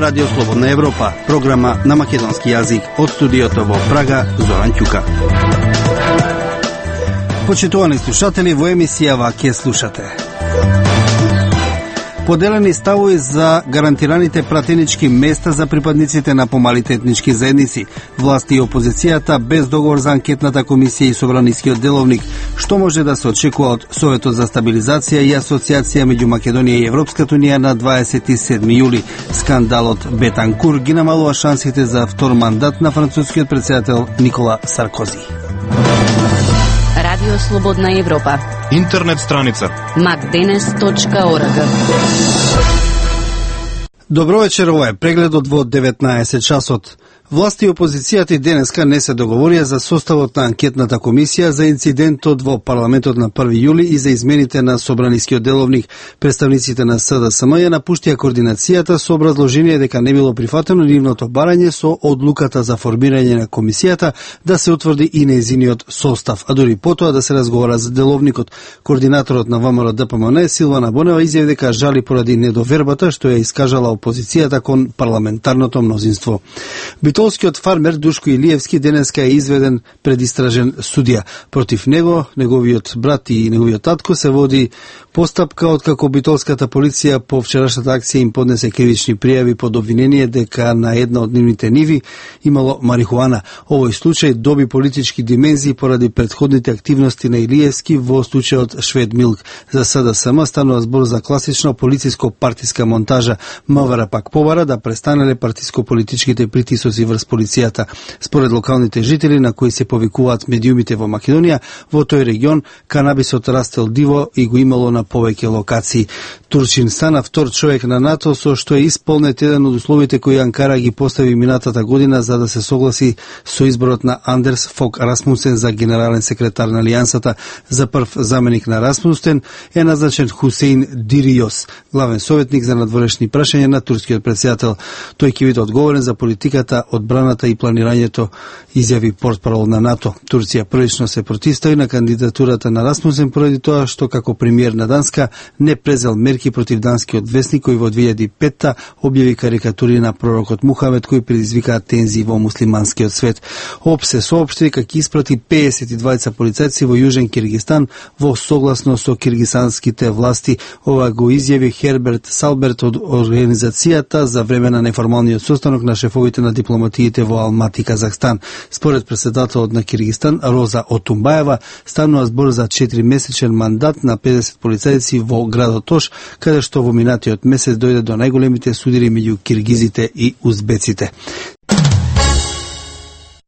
Радио Слободна Европа, програма на македонски јазик од студиото во Прага, Зоран Ќука. Почитувани слушатели, во емисијава ќе слушате поделени ставови за гарантираните пратенички места за припадниците на помалите етнички заедници, власти и опозицијата без договор за анкетната комисија и собранискиот деловник, што може да се очекува од Советот за стабилизација и асоциација меѓу Македонија и Европската унија на 27 јули. Скандалот Бетанкур ги намалува шансите за втор мандат на францускиот претседател Никола Саркози. Радио Слободна Европа. Интернет страница macdenes.org. Добро вечер, ова е прегледот во 19 часот. Власти и опозицијата и денеска не се договорија за составот на анкетната комисија за инцидентот во парламентот на 1 јули и за измените на собранискиот деловник. Представниците на СДСМ ја напуштија координацијата со образложение дека не било прифатено нивното барање со одлуката за формирање на комисијата да се утврди и нејзиниот состав, а дури потоа да се разговара за деловникот. Координаторот на ВМРО ДПМН Силвана Бонева изјави дека жали поради недовербата што ја искажала опозицијата кон парламентарното мнозинство. Битолскиот фармер Душко Илиевски денеска е изведен пред истражен судија. Против него, неговиот брат и неговиот татко се води постапка откако битолската полиција по вчерашната акција им поднесе кривични пријави под обвинение дека на една од нивните ниви имало марихуана. Овој случај доби политички димензии поради претходните активности на Илиевски во случајот Швед Милк. За СДСМ станува збор за класична полициско-партиска монтажа. МВР пак побара да престанеле партиско-политичките притисоци врз полицијата. Според локалните жители на кои се повикуваат медиумите во Македонија, во тој регион канабисот растел диво и го имало на повеќе локации. Турчин стана втор човек на НАТО со што е исполнет еден од условите кои Анкара ги постави минатата година за да се согласи со изборот на Андерс Фог Расмусен за генерален секретар на Алијансата. За прв заменик на Расмусен е назначен Хусейн Дириос, главен советник за надворешни прашања на турскиот претседател. Тој ќе биде одговорен за политиката, одбраната и планирањето, изјави портпарол на НАТО. Турција првично се противстави на кандидатурата на Расмусен поради тоа што како премиер на Данска не презел мерки против данскиот весник кој во 2005 објави карикатури на пророкот Мухамед кои предизвикаа тензии во муслиманскиот свет. ОП се соопшти дека ќе испрати 52 полицајци во Јужен Киргистан во согласно со киргизанските власти. Ова го изјави Херберт Салберт од организацијата за време на неформалниот состанок на шефовите на дипломатиите во Алмати, Казахстан. Според претседателот на Киргистан Роза Отумбаева станува збор за 4-месечен мандат на 50 полицајци во градот Ош, каде што во минатиот месец дојде до најголемите судири меѓу киргизите и узбеците.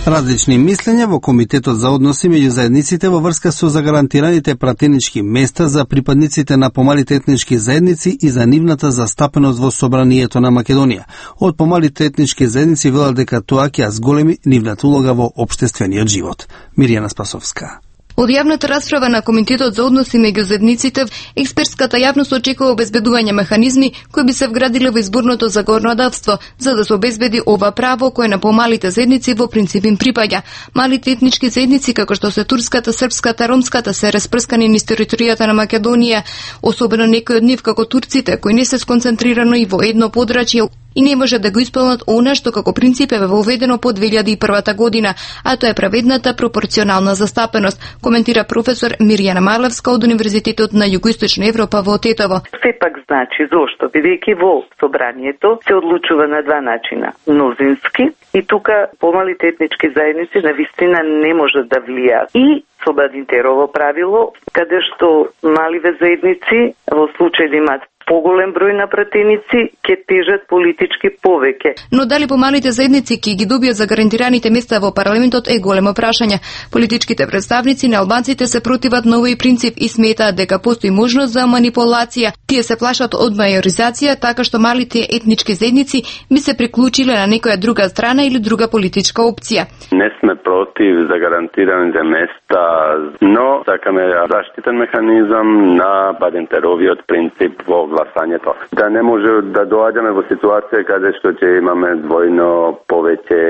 Различни мислења во Комитетот за односи меѓу заедниците во врска со загарантираните пратенички места за припадниците на помалите етнички заедници и за нивната застапеност во собранието на Македонија. Од помалите етнички заедници велат дека тоа ќе зголеми нивната улога во општествениот живот. Мирјана Спасовска. Од јавната расправа на Комитетот за односи меѓу заедниците, експертската јавност очекува обезбедување механизми кои би се вградиле во изборното законодавство, за да се обезбеди ова право кое на помалите заедници во принцип им припаѓа. Малите етнички заедници, како што се турската, српската, ромската, се распрскани низ територијата на Македонија, особено некои од нив како турците, кои не се сконцентрирано и во едно подрачје и не може да го исполнат она што како принцип е воведено по 2001 година, а тоа е праведната пропорционална застапеност, коментира професор Мирјана Марлевска од Универзитетот на Југоисточна Европа во Тетово. Сепак значи зошто, бидејќи во собранието се одлучува на два начина, мнозински и тука помалите етнички заедници навистина не можат да влијаат. И со Бадинтерово правило, каде што маливе заедници во случај да имаат поголем број на пратеници ќе тежат политички повеќе. Но дали помалите заедници ќе ги добијат за гарантираните места во парламентот е големо прашање. Политичките представници на албанците се противат на овој принцип и сметаат дека постои можност за манипулација. Тие се плашат од мајоризација, така што малите етнички заедници би се приклучиле на некоја друга страна или друга политичка опција. Не сме против за гарантираните места, но сакаме заштитен механизам на Бадинтеровиот принцип во гласањето. Да не може да доаѓаме во ситуација каде што ќе имаме двојно повеќе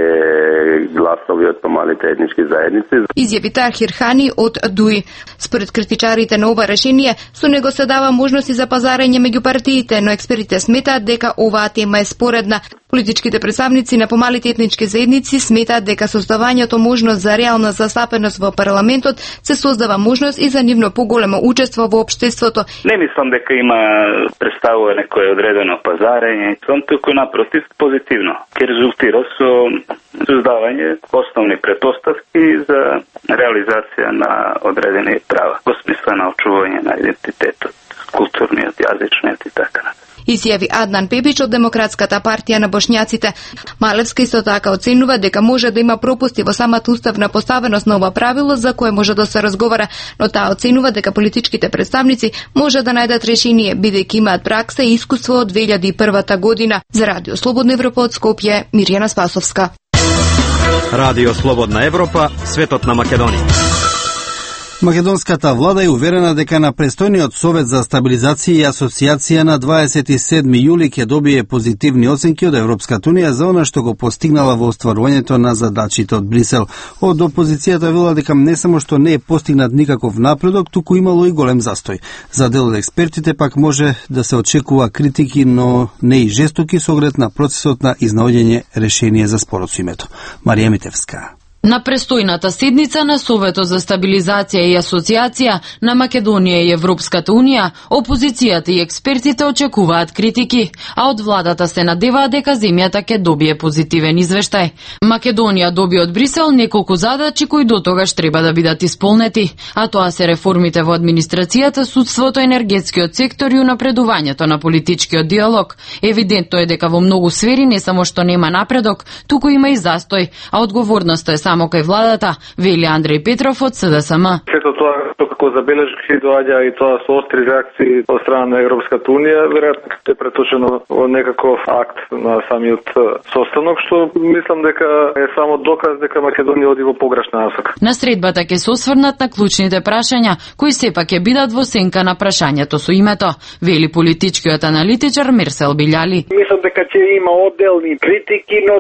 гласови од помалите етнички заедници. Изјави Тархир Хани од ДУИ. Според критичарите на ова решение, со него се дава можности за пазарење меѓу партиите, но експертите сметаат дека оваа тема е споредна. Политичките представници на помалите етнички заедници сметаат дека со оставањето можност за реална застапеност во парламентот се создава можност и за нивно поголемо учество во општеството. Не мислам дека има представува некое одредено пазарење, туку напротив позитивно. Ке резултира со создавање основни претпоставки за реализација на одредени права во смисла на очување на идентитетот, културниот, јазичниот и така натаму. Изјави Аднан Пепич од Демократската партија на Бошњаците. Малевска исто така оценува дека може да има пропусти во самата уставна поставеност на ова правило за кое може да се разговара, но таа оценува дека политичките представници може да најдат решение бидејќи имаат пракса и искуство од 2001 година. За Радио Слободна Европа од Скопје, Мирјана Спасовска. Радио Слободна Европа, светот на Македонија. Македонската влада е уверена дека на престојниот Совет за стабилизација и асоциација на 27 јули ќе добие позитивни оценки од Европската унија за она што го постигнала во остварувањето на задачите од Брисел. Од опозицијата вела дека не само што не е постигнат никаков напредок, туку имало и голем застој. За дел од експертите пак може да се очекува критики, но не и жестоки со оглед на процесот на изнаоѓање решение за спорот со името. Марија Митевска. На престојната седница на Советот за стабилизација и асоциација на Македонија и Европската унија, опозицијата и експертите очекуваат критики, а од владата се надеваат дека земјата ќе добие позитивен извештај. Македонија доби од Брисел неколку задачи кои дотогаш треба да бидат исполнети, а тоа се реформите во администрацијата, судството, енергетскиот сектор и унапредувањето на политичкиот диалог. Евидентно е дека во многу сфери не само што нема напредок, туку има и застој, а одговорноста е само кај владата, вели Андреј Петров од СДСМ. Сето тоа како забележки доаѓа и тоа со остри реакции од страна на Европската унија, веројатно е преточено во некаков акт на самиот состанок, што мислам дека е само доказ дека Македонија оди во погрешна насока. На средбата ќе се осврнат на клучните прашања, кои сепак ќе бидат во сенка на прашањето со името, вели политичкиот аналитичар Мерсел Билјали. Мислам дека ќе има одделни критики, но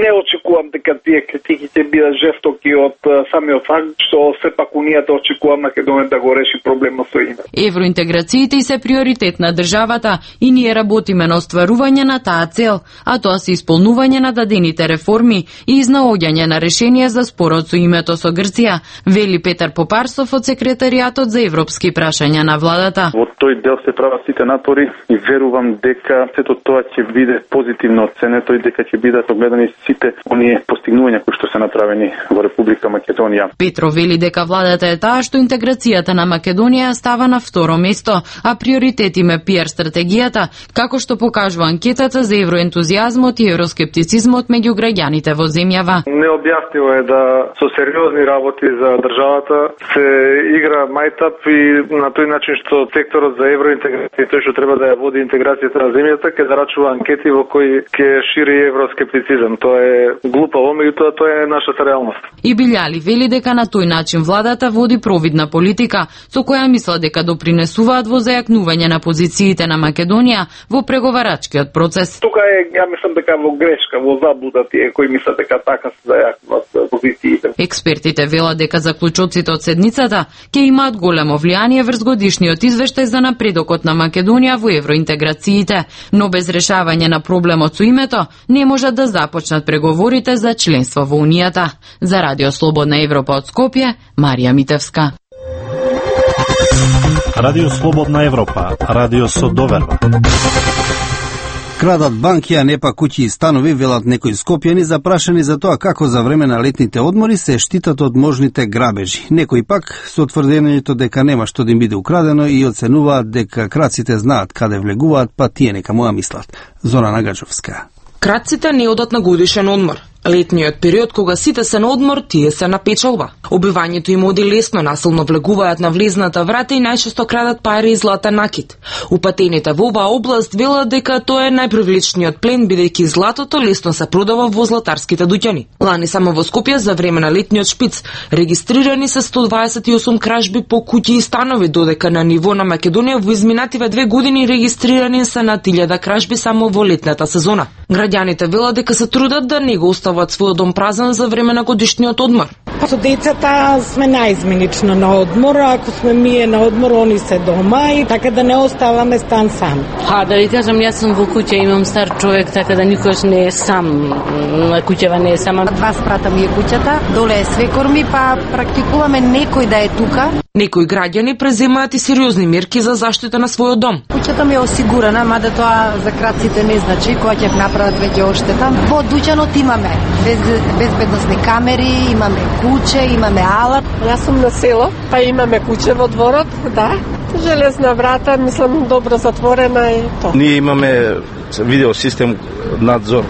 не очекувам дека тие критики ќе бидат жестоки од самиот факт што сепак унијата очекува Македонија да го реши проблемот со името. Евроинтеграциите се приоритет на државата и ние работиме на остварување на таа цел, а тоа се исполнување на дадените реформи и изнаоѓање на решение за спорот со името со Грција, вели Петар Попарсов од секретаријатот за европски прашања на владата. Во тој дел се прават сите напори и верувам дека сето тоа ќе биде позитивно оценето и дека ќе бидат огледани сите оние постигнувања кои што се направени во Република Македонија. Петро вели дека владата е таа што интеграцијата на Македонија става на второ место, а приоритет им е PR стратегијата, како што покажува анкетата за евроентузијазмот и евроскептицизмот меѓу граѓаните во земјава. Необјаснимо е да со сериозни работи за државата се игра мајтап и на тој начин што секторот за евроинтеграција тој што треба да ја води интеграцијата на земјата ќе зарачува анкети во кои ќе шири евроскептицизам. Тоа е глупаво, меѓутоа тоа е нашата реалност. И Билјали вели дека на тој начин владата води провидна политика, со која мисла дека допринесуваат во зајакнување на позициите на Македонија во преговарачкиот процес. Тука е, ја мислам дека во грешка, во заблуда тие кои мислат дека така се зајакнуваат позициите. Експертите велат дека заклучоците од седницата ќе имаат големо влијание врз годишниот извештај за напредокот на Македонија во евроинтеграциите, но без решавање на проблемот со името не можат да започнат преговорите за членство во Унијата. За Радио Слободна Европа од Скопје, Марија Митевска. Радио Слободна Европа, радио со доверба. Крадат банки, а не па куќи и станови, велат некои скопјани запрашани за тоа како за време на летните одмори се штитат од можните грабежи. Некои пак со тврдењето дека нема што да им биде украдено и оценуваат дека крадците знаат каде влегуваат, па тие нека му ја мислат. Зора Нагаджовска. Крадците не одат на годишен одмор. Летниот период кога сите се на одмор, тие се на печалба. Обивањето им оди лесно, насилно влегуваат на влезната врата и најчесто крадат пари и златен накит. Упатените во оваа област велат дека тоа е најпривлечниот плен, бидејќи златото лесно се продава во златарските дуќани. Лани само во Скопје за време на летниот шпиц регистрирани се 128 кражби по куќи и станови, додека на ниво на Македонија во изминативе 2 години регистрирани се над 1000 кражби само во летната сезона. Граѓаните велат дека се трудат да не го остават својот дом празен за време на годишниот одмор. Со децата сме наизменично на одмор, ако сме ние на одмор, они се дома и така да не оставаме стан сам. Да ви кажам, јас сум во куќа, имам стар човек, така да никош не е сам, на куќава не е сама. Два спрата ми е куќата, доле е свекор ми, па практикуваме некој да е тука. Некои граѓани преземаат и сериозни мерки за заштита на својот дом. Куќата ми е осигурана, мада тоа за крадците не значи, кога ќе направат веќе оштета. Во дуќанот имаме безбедносни камери, имаме куќе, имаме алат. Јас сум на село, па имаме куќе во дворот, да. Железна врата, мислам, добро затворена и тоа. Ние имаме видео систем надзор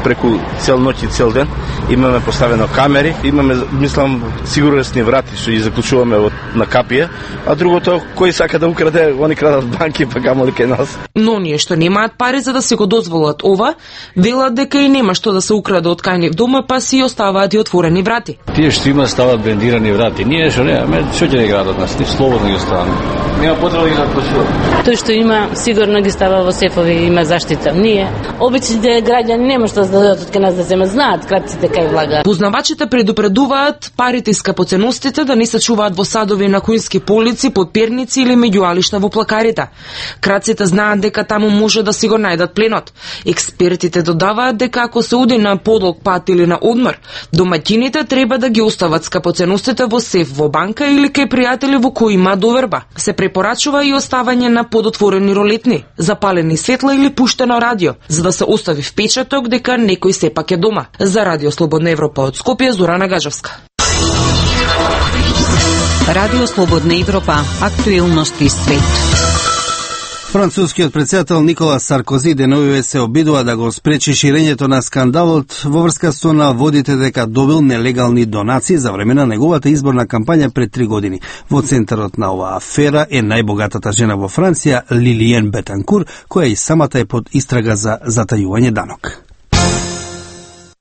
преку цел ноќ и цел ден. Имаме поставено камери, имаме, мислам, сигурносни врати што ги заклучуваме на капија, а другото, кој сака да украде, они крадат банки, па камоли кај нас. Но оние што немаат пари за да се го дозволат ова, велат дека и нема што да се украде од кај нив дома, па си оставаат и отворени врати. Тие што има стават брендирани врати. Ние што немаме, што ќе не градат нас, ни слободно ги оставаме. Нема потреба да ги заклучуваме. Тој што има, сигурно ги става во сефови, има заштита. Ние, обичните граѓани нема што да дадат од кај нас да земат, знаат крадците кај влага. Познавачите предупредуваат парите и скапоценностите да не се чуваат во садови на коински полици, под перници или меѓу алишта во плакарите. Крадците знаат дека таму може да си го најдат пленот. Експертите додаваат дека ако се оди на подолг пат или на одмор, домаќините треба да ги остават скапоценностите во сеф во банка или кај пријатели во кои има доверба. Се препорачува и оставање на подотворени ролетни, запалени светла или пуштено радио, за да се остави впечаток дека некој сепак е дома. За Радио Слободна Европа од Скопје, Зорана Гажевска. Радио Слободна Европа, актуелности свет. Францускиот претседател Никола Саркози деновиве се обидува да го спречи ширењето на скандалот во врска со наводите дека добил нелегални донации за време на неговата изборна кампања пред 3 години. Во центарот на оваа афера е најбогатата жена во Франција, Лилиен Бетанкур, која и самата е под истрага за затајување данок.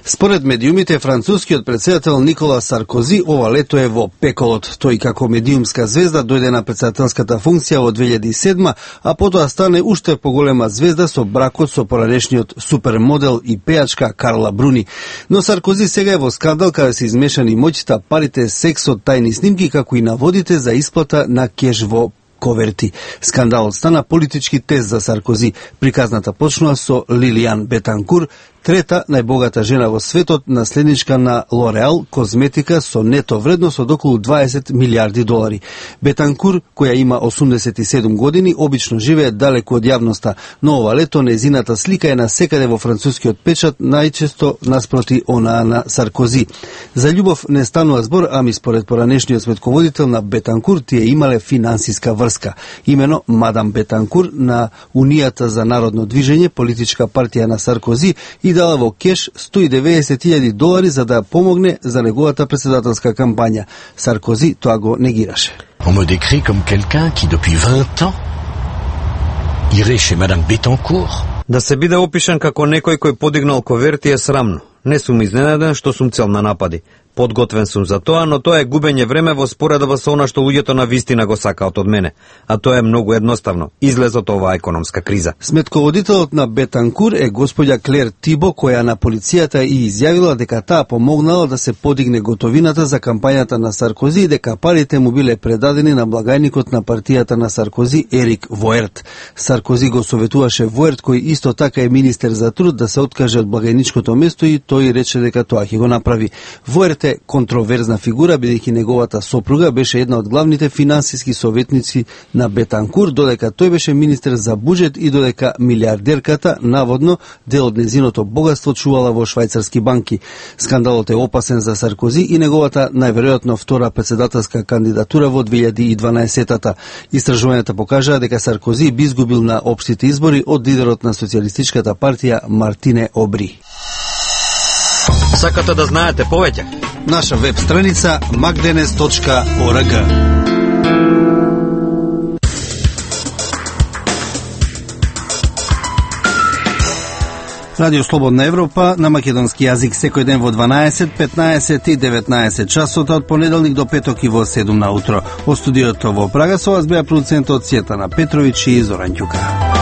Според медиумите, францускиот претседател Никола Саркози ова лето е во пеколот. Тој како медиумска звезда дојде на претседателската функција во 2007, а потоа стане уште поголема звезда со бракот со поранешниот супермодел и пејачка Карла Бруни. Но Саркози сега е во скандал каде се измешани моќта, парите, сексот, тајни снимки, како и наводите за исплата на кеш во коверти. Скандалот стана политички тест за Саркози. Приказната почнува со Лилиан Бетанкур, трета најбогата жена во светот, наследничка на Лореал козметика со нето вредност од околу 20 милиарди долари. Бетанкур, која има 87 години, обично живее далеку од јавноста, но ова лето незината слика е насекаде во францускиот печат, најчесто наспроти онаа на Саркози. За љубов не станува збор, ами според поранешниот сметководител на Бетанкур тие имале финансиска врска. Имено мадам Бетанкур на Унијата за народно движење, политичка партија на Саркози, и дала во кеш 190.000 долари за да помогне за неговата председателска кампања. Саркози тоа го негираше. On me décrit comme quelqu'un qui depuis 20 ans irait chez madame Bettencourt. Да се биде опишан како некој кој подигнал коверти е срамно. Не сум изненаден што сум цел на напади. Подготвен сум за тоа, но тоа е губење време во споредба со она што луѓето на вистина го сакаат од мене. А тоа е многу едноставно. Излез од оваа економска криза. Сметководителот на Бетанкур е господја Клер Тибо, која на полицијата и изјавила дека таа помогнала да се подигне готовината за кампањата на Саркози и дека парите му биле предадени на благајникот на партијата на Саркози, Ерик Воерт. Саркози го советуваше Воерт, кој исто така е министер за труд, да се откаже од благајничкото место и тој рече дека тоа ќе го направи. Воерт е контроверзна фигура, бидејќи неговата сопруга беше една од главните финансиски советници на Бетанкур, додека тој беше министер за буџет и додека милиардерката, наводно, дел од незиното богатство чувала во швајцарски банки. Скандалот е опасен за Саркози и неговата најверојатно втора председателска кандидатура во 2012-та. Истражувањата покажаа дека Саркози би изгубил на општите избори од лидерот на социјалистичката партија Мартине Обри. Сакате да знаете повеќе? Наша веб страница magdenes.org. Радио Слободна Европа на македонски јазик секој ден во 12, 15 и 19 часот од понеделник до петок и во 7 на утро. Во студиото во Прага со вас беа продуцентот Сјетана Петровиќ и Зоран Ѓука.